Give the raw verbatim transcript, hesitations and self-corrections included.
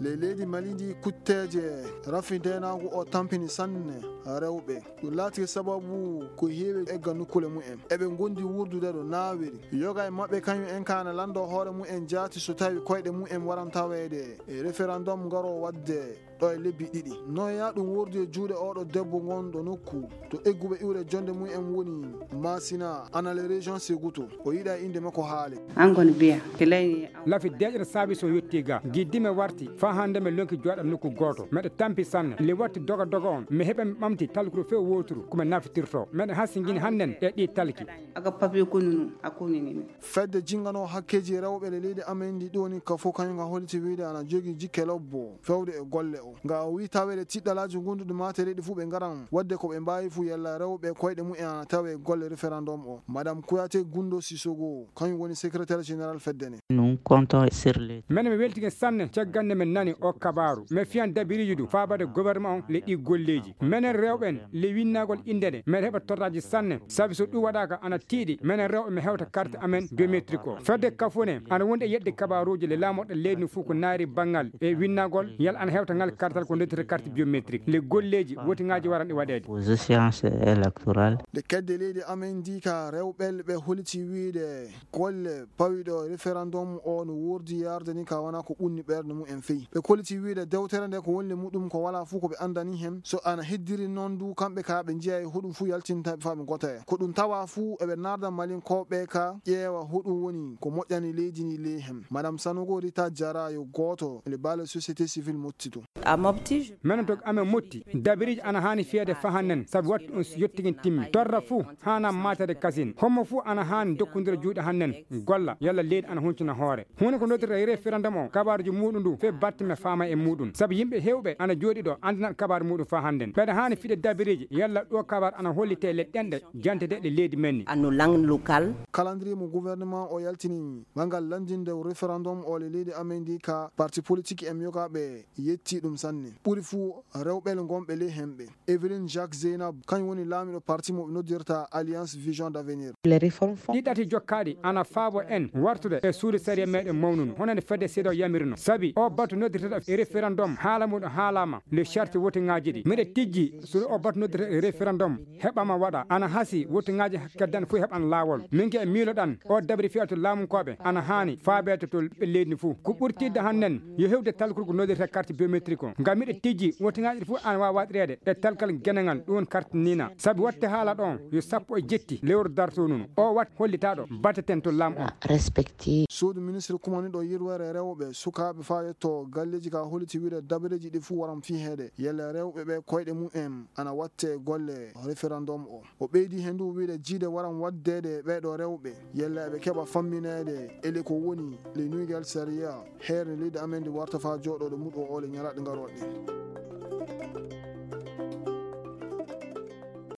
Ley leydi Mali ndi, kutteeje rafi ndeenaagu o tampini sanne rewɓe. Ɗum laati sababu ko heewi egga nokkuule mumen. Eɓe ngondi wuurdude ɗo naawiri. Yoga e maɓɓe kañum en kaana lanndo hoore mumen jaati so tawi koyɗe mumen waran taweede e referendum ngaro waɗde ɗo e lebbi ɗiɗi. Noya ɗum wordi e juuɗe oɗo debbo ngonɗo nokku to egguɓe iwre jonde mumen woni Masina, ana le région Seguto. O yiɗa innde makko haale. An kon biya, kelen. Lafi deeƴre saabi so yotti ga. Giddime warti, faa hannde mi lonki jooɗa nokku gooto. Meɗe tampi sanne. Le watti doga doga on. Mi heɓa mi ɓamti talkuru few wooturu, ko mi nafitirto. Meɗe hasingini hannden e ɗi talki. Aga papier ko nunu, a ko nini. Fedde jinngano hakkeeji rewɓe le leydi amen ndi ɗoni ka fof kañum ka holliti wiyde ana jogii jikke lobbo fewde e golle o. Nga o wii taweede tiɗɗalaaji gonduɗi maatereeɗi fof ɓe ngaran waɗde ko ɓe mbaawi fof yalla rewɓe koyɗe mumen ana tawe e golle référendum o. Madame Kouyaté Gundo Sissoko, kañum woni secrétaire général fedde nde. Nous comptons sur les. Menen mi weltike sanne caggal nde min nani o kabaaru. Mi fiyan dabiriiji ɗum faabade gouvernement on le ɗi golleeji. Menen rewɓen le winnagol innde nde, meɗen heɓa torraaji sanne. Sabi so ɗum waɗaaka ana tiiɗi, menen rewɓe mi hewta carte amen biométrique o. Fedde kafune ana wondi e yedde kabaaruuji le laamorɗe leydi ndi fof ko naari banngal e winnagol, yalla ana hewta ngal kartal ko noddirta carte biométrique. Le golleeji wotiŋaaji waran ɗi waɗeede. Aux échéances électorales. Nde kedde leydi amen ndi ka rewɓe le ɓe holiti wiide golle pawiɗo référendum o no wordi yarde ni ka wona ko ɓunni ɓernde mumen feyi. Ɓe koliti wiide dewtere nde ko wonde muɗum ko wala fuu ko ɓe andani hen. So ana heddiri noon du, kamɓe ka ɓe njiya e hoɗum fuu yaltinta ɓe faa ɓe gota en. Ko ɗum tawa fuu eɓe narda Malinkooɓe ka ƴeewa hoɗum woni ko moƴƴani leydi ndi ley hen. Madame Sanogo Rita Diarra yo gooto le baale société civile mottito. A mofti? Menen to amen motti, dabiriji ana haani fiyede fahannen, sabu wattu on yottigen timmi. Torra fuu haana maatede kasin. Hommo fuu ana haani dokkondira juuɗe hannen, golla, yalla leydi ana huncina hoore. Huunde ko noddirta référendum o, kabaaruji muuɗum ndu, fee batte mi faama e muuɗum. Sabu yimɓe heewɓe ana jooɗi ɗo, andinat kabaaru muuɗum faa hannden. Ɓeɗa haani fiɗe dabiriji, yalla ɗo kabaaru ana hollite le ɗenɗe, jantede ɗe leydi men ni. À nos langues locales. Calendrier mo gouvernement o yaltini, bangal landinde référendum o le leydi amen ndi ka parti politique en yoga ɓe yetti ɗum sanne. Ɓuri fuu rewɓe le ngonɓe ley hemɓe. Evelyne Jacques Zeynab, kañum woni laamiɗo parti mo ɓe noddirta Alliance Vision d'Avenir. Les réformes font. Ɗi ɗati jokkaaɗi ana faabo en wartude e suudu sariya meɗen mawnunu, hono nde fedde seedo yamirno. Sabi o batu noddirteɗo e référendum haala muɗum haalama le charte wotiŋaaji ɗi. Miɗa tijji so o batu noddirteɗo e référendum heɓama waɗa, ana hasi wotiŋaaji keddan fof heɓan laawol. Min ke miiloɗan o dabri fiyatu laamunkooɓe ana haani faabeede to ɓe leydi ndi fof. Ko ɓurtidde hannden yo hewde talkuru ko noddirta carte biométrique o. Ngam miɗa tijji wotiŋaaji ɗi fof ana waawa waɗireede e talkal genangal, ɗum woni carte nina. Sabi watte haala ɗon yo sappo e jetti lewru darto nun. O wat hollitaɗo batteten to lam on. Respecté. Suudu ministre kumaniɗo yirwere rewɓe sukaaɓe faa yetto galleeji ka holliti wiide dabareeji ɗi fuu waran fiheede. Yalla rewɓe ɓe koyɗe mumen ana watte golle référendum o. O ɓeydi heen du wiide jiide waran waɗdeede e ɓeeɗo rewɓe, yalla eɓe keɓa fammineede ele ko woni le Nouvelle Sariya, heere leydi amen ndi warta faa jooɗooɗo muɗo o le ñalaaɗe ngarooɗe.